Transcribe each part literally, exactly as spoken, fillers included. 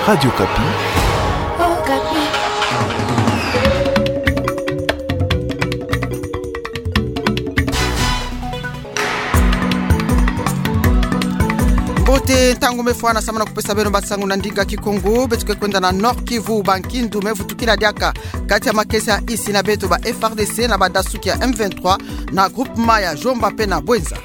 Radio Okapi. Mbote, ntangu me fwana samu na kupesa beno bansangu na ndinga Kikongo. Beto ke kwenda na Nord-Kivu. Bankindu me vutukila diaka kati ya makesa ya insi na beto, ba F R D C na badasuki ya M vingt-trois na groupement ya Jomba mpe na Bouenza.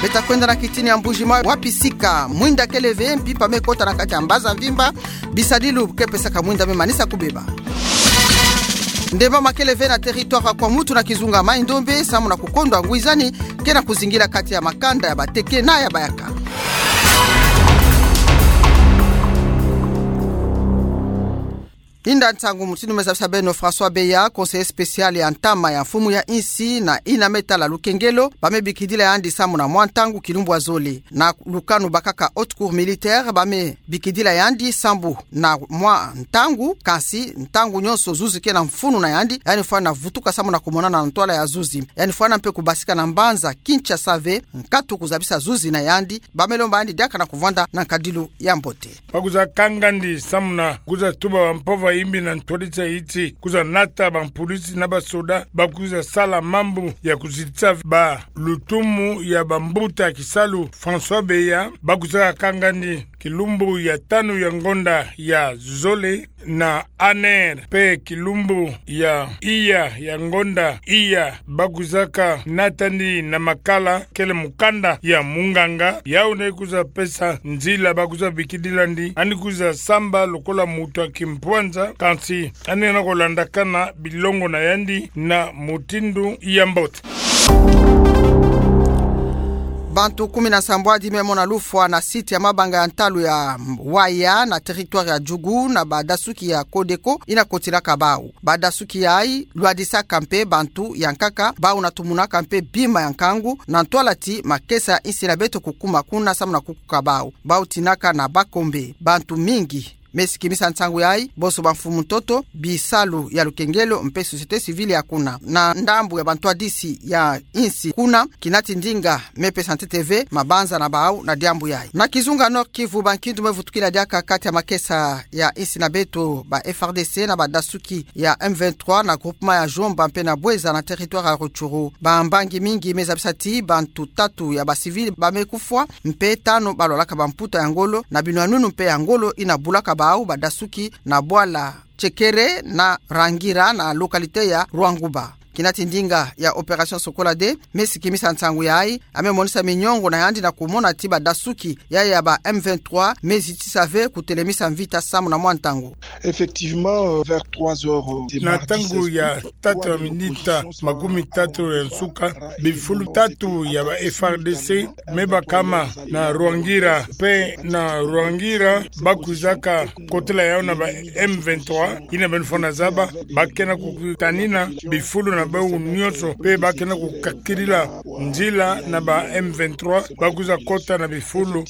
Beta kwenda na kitini ya Mbuji-Mayi, wapi sika mwinda kele ve mpimpa me kota na kati ya mbaza mvimba, bisadilu ke pesaka mwinda me manisa kubeba. Ndemba ma kele ve na territoire ya Kwamouth na kizunga Maï-Ndombe samu na kukondwa ngwizani ke na kuzingila kati ya makanda ya bateke na ya bayaka. Inda nsangu mutindu me zabisa beno. François Beya, conseiller spécial ya ntama ya mfumu ya insi na yina me tala lukengelo, ba me bikidila yandi samu na mwa ntangu kilumbu ya zole. Na lukanu bakaka haute cour militaire, ba me bikidila yandi sambu na mwa ntangu, kansi ntangu nyonso zuzi ke na mfunu na yandi, yandi fwana vutuka samu na kumonana na ntwala ya zuzi. Yandi fwana mpe kubasika na mbanza Kinshasa ve nkatu kuzabisa zuzi na yandi, ba me lomba yandi diaka na kuvwanda na nkadilu ya mbote. Ba kwiza kanga yandi samu na kwiza tuba bampova yimbi na ntwadisi ya nsi, kwiza nata bampulisi na basoda ba kwiza sala mambu ya kuzitisa ba lutumu ya bambuta kisalu. François Beya, ba kwiza kanga yandi kilumbu ya tanu ya ngonda ya zole na Aner, mpe kilumbu ya iya ya ngonda iya ba kwizaka nata yandi na makala kele mukanda ya munganga, yawu nde kwiza pesa nzila ba kwiza bikidila yandi, yandi kwiza samba lokola mutu ya kimpwanza, kansi yandi na kulandakana bilongo na yandi na mutindu ya mbote. Bantu kumi na sambwadi me mona lufwa na site ya mabanga ya ntalu ya Waya na territoire ya Djugu na badasuki ya Codeco yina kotilaka bawu. Badasuki yayi lwadisaka mpe bantu ya nkaka, bawu na tumunaka mpe bima ya nkangu na ntwala ti makesa ya insi na beto kukuma kuna samu na kukuka bawu. Bawu tinaka na bakombe. Bantu mingi me sikimisa nsangu yayi, bonso bamfumu ntoto, bisalu ya lukengelo mpe société civile ya kuna. Na ndambu ya bantwadisi ya insi kuna, kina ti ndinga me pesa ntete ve mabanza na bawu na diambu yayi. Na kizunga Nord-Kivu, bankindu me vutukila diaka kati ya makesa ya insi na beto, ba F R D C na badasuki ya M vingt-trois na groupement ya Jomba mpe na Bouenza na territoire ya Rutshuru. Bambangi mingi me zabisa ti bantu tatu ya bacivil ba me kufwa, mpe tanu balwalaka bamputa ya ngolo na binwanunu mpe ya ngolo yina bulaka bawu badasuki na bwala Tshekere na Rangira na localité ya Rwanguba. Kina ti ndinga ya opération Sokola deux me sikimisa nsangu yayi, a me monisa miniongo na yandi na kumona ti badasuki yayi ya ba M vingt-trois me zitisa ve kutelemisa mvita samu na mwa ntangu. Effectivement, euh, vers trois heures, euh, de mardi seize août, na ntangu ya tatu ya minita makumi tatu ya nsuka, bifulu tatu ya ba F R D C me bakama na Rwangira, mpe na Rwangira ba kwizaka kotela yawu na ba M vingt-trois, yina beno fwana zaba, ba ke na kukutanina bifulu na bawu nyonso, mpe ba ke na kukakirila nzila na ba M vingt-trois, ba kwiza kota na bifulu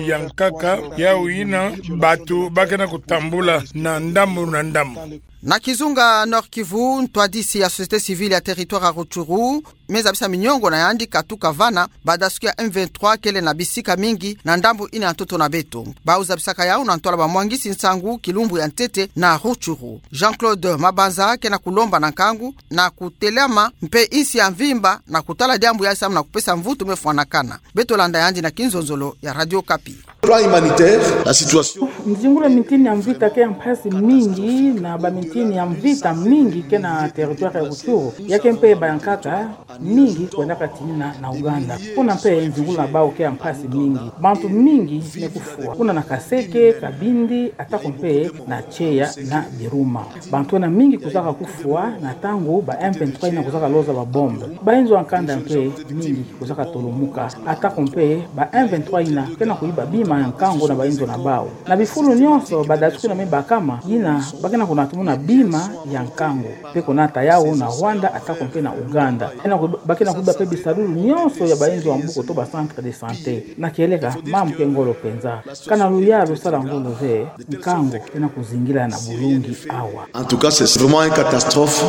ya nkaka, yawu yina bantu ba ke na kutambula na ndambu na ndambu. Na kizunga Nord-Kivu, ntwadisi ya société civile ya territoire ya Rutshuru me zabisa miniongo na yandi katuka vana badasuki ya M vingt-trois kele na bisika mingi na ndambu yina ya ntoto na beto. Bawu zabisaka yawu na ntwala bamwangisi nsangu kilumbu ya ntete na Rutshuru. Jean-Claude Mabanza ke na kulomba na nkangu na kutelama mpe insi ya mvimba na kutala diambu yayi samu na kupesa mvutu me fwanakana. Beto landa yandi na kinzonzolo ya Radio Okapi. Plan humanitaire, la situation. Nzingula mintini ya mvita ke ya mpasi mingi, na bamintini ya mvita mingi ke na territoire ya Rutshuru. Ya ke mpe ba ya nkaka mingi kwendaka tinina na Ouganda. Kuna mpe nzingula na bawu ke ya mpasi mingi. Bantu mingi me kufwa. Kuna na Kaseke, Kabindi, atako mpe na Tshieya na Biruma. Bantu ena mingi kwizaka kufwa na ntangu ba M vingt-trois yina kwizaka loza ba bombe. Bayinzo ya nkanda mpe mingi kwizaka tolomuka. Atako mpe ba M vingt-trois yina ke na kuyiba bima ya nkangu na bayinzo na bawu. Na bifulu nyonso badasuki yina me bakama, yina ba ke na kunatumuna bima ya nkangu. Mpe kunata yawu na Rwanda atako mpe na Ouganda. Ena ku-, ba ke na kuyiba mpe bisalulu nyonso ya bayinzo ya mbuku to ba centre de santé. Na kieleka, mambu ke ngolo mpenza. Kana luyalu sala ngolo ve, nkangu ke na kuzingila na bulungi awa. En tout cas, c'est vraiment une catastrophe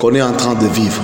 qu'on est en train de vivre.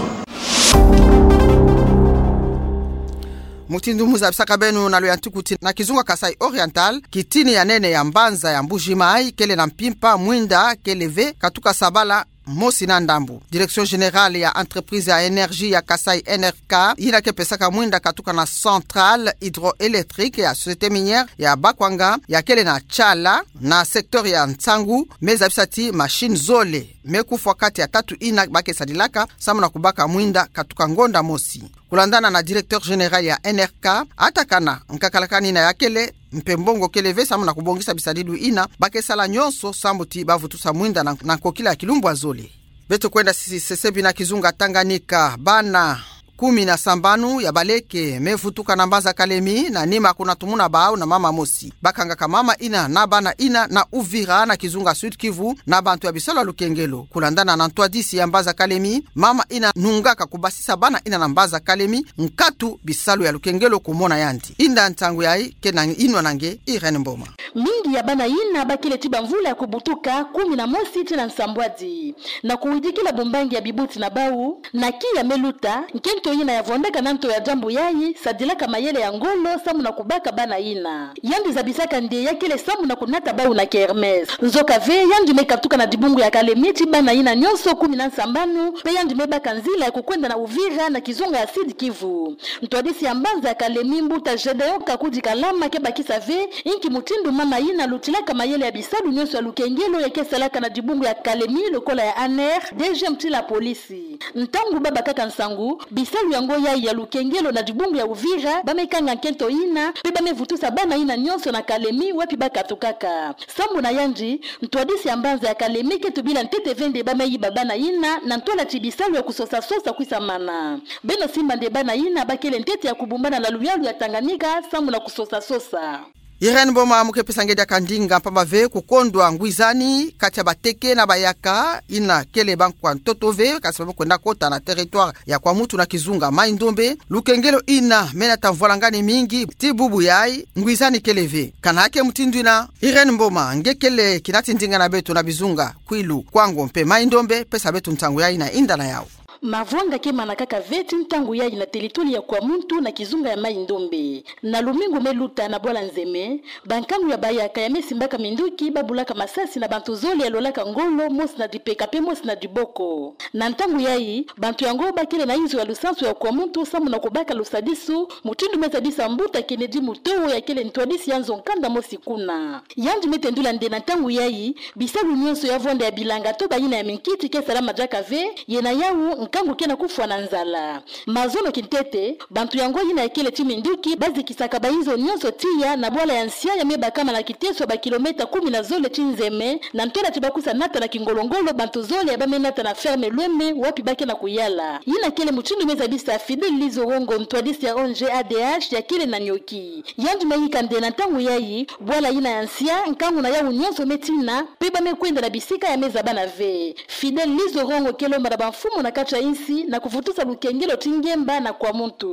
Mutindu muzabisaka beno na luyantiku ti na kizunga Kasaï Oriental, kitini ya nene ya mbanza ya Mbuji-Mayi kele na mpimpa, mwinda kele ve katuka sabala mosi na ndambu. Direction Générale ya Entreprise ya Énergie ya Kasaï, N R K, yina ke pesaka mwinda katuka na centrale hydroélectrique ya Société Minière ya Bakwanga, ya kele na Tshala, na secteur ya Nsangu, me zabisa ti machine zole me kufwa kati ya tatu yina ba ke sadilaka samu na kubaka mwinda katuka ngonda mosi. Kulandana na Directeur Général ya N R K, atakana nkakalakani yina ya kele, mpe mbongo kele ve samu na kubongisa bisadidu yina, ba ke sala nyonso sambu ti ba vutusa mwinda na, na nkokila ya kilumbu ya zole. Beto kwenda sisi sesebi na kizunga Tanganyika, bana kumi na sambanu ya baleke me vutuka na mbanza Kalemi, na nima kuna tumuna bau na mama mosi. Ba kangaka mama yina na bana yina na Uvira na kizunga Sud-Kivu na bantu ya bisalu ya lukengelo. Kulandana na ntwadisi ya mbanza Kalemi, mama yina nungaka kubasisa bana yina na mbanza Kalemi nkatu bisalu ya lukengelo kumona yandi. Inda ntangu yayi, kena inwa na nge Irène Mboma. Mingi ya bana yina ba kele ti bamvula ya kubutuka, kumi na mosi tii na nsambwadi, na kuwidikila bumbangi ya bibuti na bau, na kiya me luta, nkento yina ya vondaka na nto ya diambu yayi sadilaka mayele ya ngolo samu na kubaka bana yina. Yandi zabisaka nde ya kele samu na kunata bau na kermesse. Nzoka ve, yandi me katuka na dibungu ya Kalemi ti bana yina nyonso kumi na nsambanu, mpe yandi me baka nzila ya kukwenda na Uvira na kizunga ya Sud-Kivu. Ntwadisi ya mbanza ya Kalemi, mbuta Gédéon Kakudi Kalama, ke bakisa ve inki mutindu mama yina lutilaka mayele ya bisalu nyonso ya lukengelo ya ke salaka na dibungu ya Kalemi lokola ya A N R, deuxième ti la police. Ntangu ba bakaka nsangu bisalu yango yayi ya lukengelo na dibungu ya Uvira, ba me kanga nkento yina, mpe ba me vutusa bana yina nyonso na Kalemi wapi ba katukaka. Sambu na yandi, ntwadisi ya mbanza ya Kalemi ke tubila ntete ve nde ba me yiba bana yina na ntwala ti bisalu ya kusosa-sosa kwisamana. Beno simba nde bana yina ba kele ntete ya kubumbana na luyalu ya Tanganyika samu na kusosa-sosa. Irène Mboma, mu ke pesa nge diaka ndinga mpamba ve kukondwa ngwizani kati ya bateke na bayaka yina kele bankwa ntoto ve, kasi ba me kwenda kota na territoire ya Kwamouth na kizunga Mai-Ndombe. Lukengelo yina me nata mvwalangani mingi, tii bubu yayi ngwizani kele ve. Kana ke mutindu yina, Irène Mboma, nge kele kina ti ndinga na beto na bizunga Kwilu, Kwango mpe Mai-Ndombe, pesa beto ntangu yayi na inda na yau. Mavwanga ke manakaka ve tii ntangu yayi na territoire ya Kwamouth na kizunga ya Mai-Ndombe. Na lumingu me luta na bwala Nzeme, bankangu ya bayaka ya me simbaka minduki ba bulaka masasi na bantu zole ya lolaka ngolo, mosi na dipeka mpe mosi na diboko. Na ntangu yayi, bantu yango ba kele na inzo ya lusansu ya Kwamouth samu na kubaka lusadisu, mutindu me zabisa mbuta Kennedy Mutowo ya kele ntwadisi ya nzo nkanda mosi kuna. Yandi me tendula nde na ntangu yayi, bisalu nyonso ya vonda ya bilanga to bayina ya minkiti ke salama diaka ve, ye na yau nkangu ke na kufwa na nzala. Mazono kintete, bantu yango yina ya kele ti minduki ba zikisaka bainzo nyonso tiya na bwala ya nsia ya me bakama na kiteso ya bakilomètre kumi na zole ti Nzeme, na ntwala ti ba kwiza nata na kingolo-ngolo bantu zole ya ba me nata na ferme Lweme wapi ba ke na kuyala. Yina kele mutindu me zabisa Fidèle Lizorongo, ntwadisi ya O N G A D H ya kele na Nioki. Yandi me yika nde na ntangu yayi, bwala yina ya nsia, nkangu na yau nyonso me tina, mpe ba me kwenda na bisika ya me zabana ve. Fidèle Lizorongo ke lomba na bamfumu na kati ya insi na kuvutusa lukengelo ti ngemba na Kwamouth.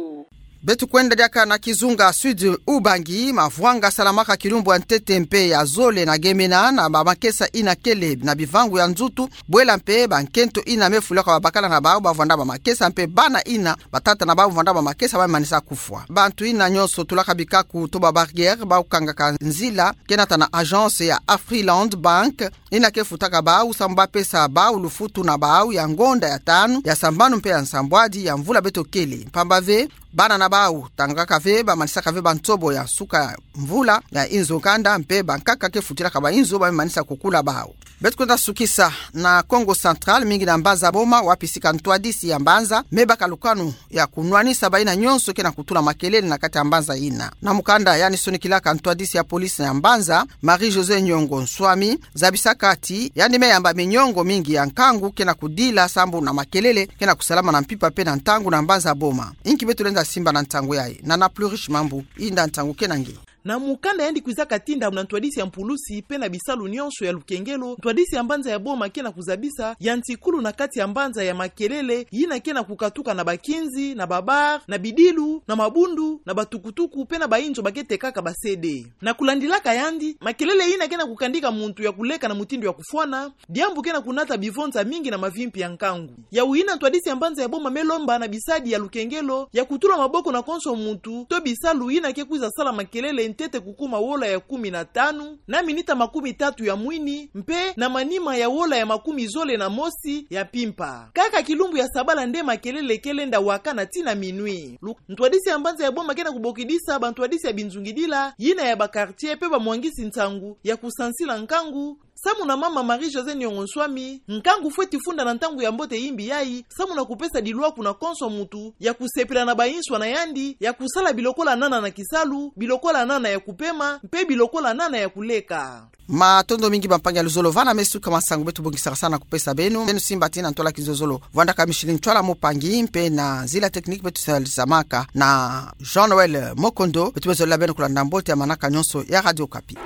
Beto kwenda diaka na kizunga Sud-Ubangi, mavwanga salamaka kilumbu ya ntete mpe ya zole na Gemena na bamakesa yina kele na bivangu ya nzutu, bwela mpe bankento yina me fulaka babakala na bau ba vwanda bamakesa mpe bana yina batata na bau vwanda bamakesa ba manisa kufwa. Bantu yina nyonso tulaka bikaku to ba barrière bau kangaka nzila ke nata na agence ya Afriland Bank, yina ke futaka bau samu ba pesa bau lufutu na bau ya ngonda ya tanu, ya sambanu mpe ya nsambwadi ya mvula beto kele. Mpamba ve, bana na bau tangaka ve, ba manisaka ve bansobo ya suka mvula ya inzo nkanda, mpe bankaka ke futilaka bainzo ba me manisa kukula bau. Beto kwenda sukisa na Kongo Central, mingi na mbanza Boma, wapi sika ntwadisi ya mbanza me baka lukanu ya kunwanisa bayina nyonso ke na kutula makelele na kati ya mbanza yina. Na mukanda yandi sonikilaka ntwadisi ya police ya mbanza, Marie-Josée Nyongo Nswami, zabisaka ti yandi me yamba minyongo mingi ya nkangu ke na kudila sambu na makelele ke na kusalama na mpimpa mpe na ntangu na mbanza Boma. Inki beto lenda simba na ntangu yayi? Nana Plurish Mambu, inda ntangu ke na nge. Na mukanda yandi kwizaka tinda na ntwadisi ya mpulusi pe na bisalu nyonso ya lukengelo, ntwadisi ya mbanza ya Boma ke na kuzabisa ya ntikulu na kati ya mbanza ya makelele yina ke na kukatuka na bakinzi, na babar, na bidilu, na mabundu, na batukutuku pe na bainzo ba ke tekaka ba CD. Na kulandilaka yandi, makelele yina ke na kukandika muntu ya kuleka na mutindu ya kufwana, diambu ke na kunata bivonza mingi na mavimpi ya nkangu. Yawu yina ntwadisi ya mbanza ya Boma me lomba na bisadi ya lukengelo ya kutula maboko na konso muntu to bisalu yina ke kwiza sala makelele ntete kukuma wola ya kumi na tanu, na minita makumi tatu ya mwini, mpe na manima ya wola ya makumi zole na mosi ya mpimpa. Kaka kilumbu ya sabala nde makelele ke lenda wakana tii na minuit. Lu-, ntwadisi ya mbanza ya Boma ke na kubokidisa bantwadisi ya binzungidila yina ya bakartie pe bamwangisi nsangu ya kusansila nkangu, samu na mama Marie-Josée Niongo Nswami, nkangu fweti funda na ntangu ya mbote yimbi yayi, samu na kupesa dilwaku na konso muntu ya kusepila na bainswa na yandi, ya kusala bilokola nana na kisalu, bilokola nana ya kupema, mpe bilokola nana ya kuleka. Matondo mingi bampangi ya luzolo, vana me suka masangu beto bongisaka sana kupesa beno. Beno simba tii na ntwala kizololo. Vwandaka Micheline Ntwala Mopangi mpe na nzila technique beto salisamaka na Jean-Noël Mokondo. Beto me zolila beno kulanda mbote ya manaka nyonso ya Radio Okapi.